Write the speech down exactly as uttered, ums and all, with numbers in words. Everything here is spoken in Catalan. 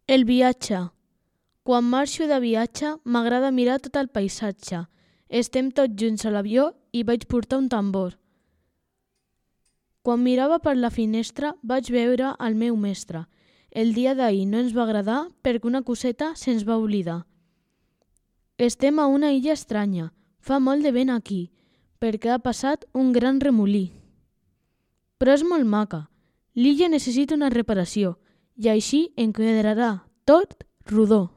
El viatge. Quan marxo de viatge m'agrada mirar tot el paisatge. Estem tots junts a l'avió i vaig portar un tambor. Quan mirava per la finestra vaig veure el meu mestre. El dia d'ahir no ens va agradar perquè una coseta se'ns va oblidar. Estem a una illa estranya. Fa molt de vent aquí, perquè ha passat un gran remolí. Però és molt maca. L'illa necessita una reparació i així en quedarà tot rodó.